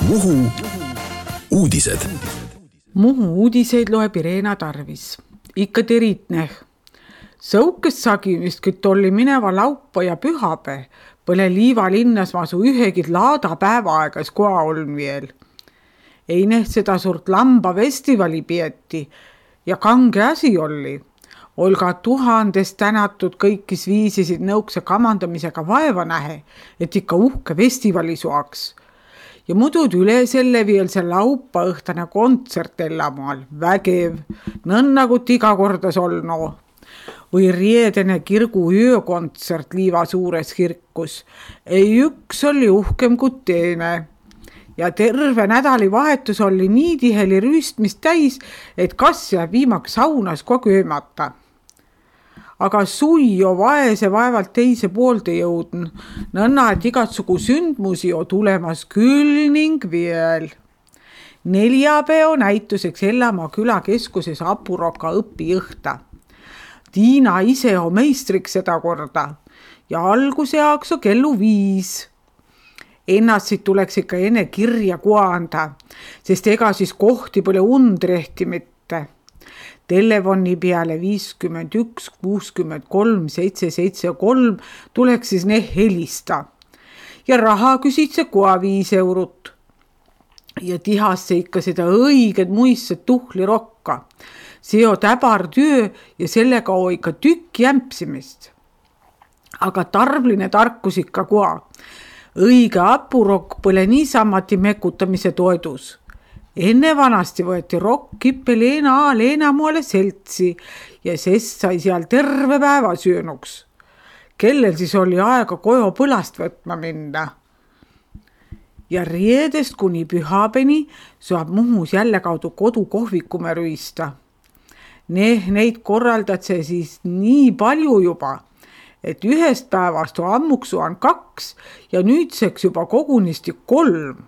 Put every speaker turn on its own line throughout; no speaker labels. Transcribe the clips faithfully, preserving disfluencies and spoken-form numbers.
Muhu uudised.
Muhu uudiseid loeb Irena Tarvis. Ikka teritneh. Sõukest sagimist, küt oli mineva laupa ja pühape, põle liiva linnas masu ühegid laada päevaaegas koa oln veel. Eineh seda suurt lamba festivali pieti ja kange asi oli. Olga tuhandest tänatud kõikis viisisid nõukse kamandamisega vaeva nähe, et ikka uhke festivali suaks. Ja mudud üle selle veel see laupa õhtane kontsert Ellamaal, vägev, nõnnagut iga kordas olno. Või riedene kirgu öökontsert Liiva suures kirkus. Ei üks oli uhkem kui teine. Ja terve nädali vahetus oli nii tiheli rüüstmist täis, et kas jääb viimaks saunas kogu öömata. Aga sui jo vaese vaevalt teise poolde jõudn, nõnna, et igatsugu sündmusi jo tulemas küll ning veel. Neljapeo näituseks Ellamaa külakeskuses Apuroka õpijõhta. Tiina ise on meistriks seda korda ja alguse jaaks on kellu viis. Ennast tuleks ikka enne kirja kuanda, sest ega siis kohti pole undrehti mitte. Telefoni peale viiskümmend üks kuuskümmend kolm seitse seitse kolm tuleks siis ne helista. Ja raha küsid see koa viis eurot. Ja tihasse ikka seda õiged muistset tuhli rokka. See on täbar töö ja sellega on ikka tükk jämpsimist. Aga tarvline tarkus ikka koa. Õige apurokk pole niisamati mekutamise toedus. Enne vanasti võeti rokk kippe Leena A. Leenamoole seltsi ja sest sai seal terve päeva söönuks. Kellel siis oli aega kojo põlast võtma minna. Ja riedest kuni pühapeni saab Muhus jälle kaudu kodukohvikume rüüsta. Neh, neid korraldad see siis nii palju juba, et ühest päevast on ammuksu on kaks ja nüüdseks juba kogunisti kolm.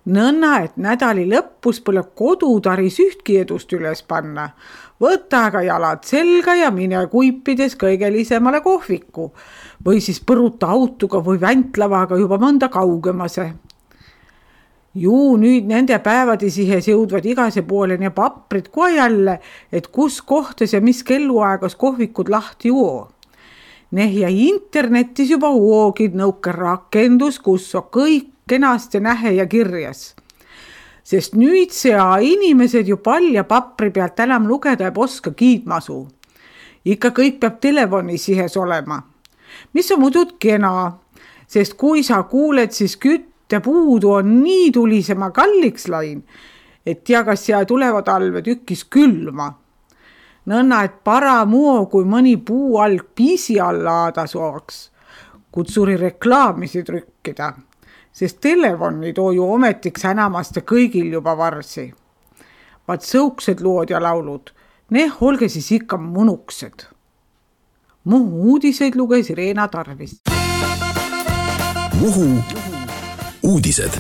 Nõnna, et nädali lõppus pole kodutaris ühtki edust üles panna. Võta aga jalad selga ja mine kuipides kõigelisemale kohviku või siis põruta autoga või väntlavaga juba mõnda kaugemase. Juu, nüüd nende päevadi sihes jõudvad igase poole ne paprid kohe jälle, et kus kohtas ja mis kelluaegas kohvikud lahti oo. Neh ja internetis juba oogid nõuke rakendus, kus on kõik kenasti nähe ja kirjas. Sest nüüd see inimesed ju palja papri pealt enam lugeda ei oska kiidmasu. Ikka kõik peab telefoni sihes olema. Mis on mudud kena, sest kui sa kuuled, siis küttepuudu on nii tulisema kalliks lain, et tea, kas siia tulevad alve tükis külma. Nõnna, et paramuo, kui mõni puu alg piisi alla aada soaks, kutsuri reklaamisi trükkida. Sest telefoni too ju ometiks enamast kõigil juba varsi. Vaat sõuksed lood ja laulud, neh olge siis ikka munuksed. Muhu uudiseid luges Irena Tarvis.
Muhu uudised.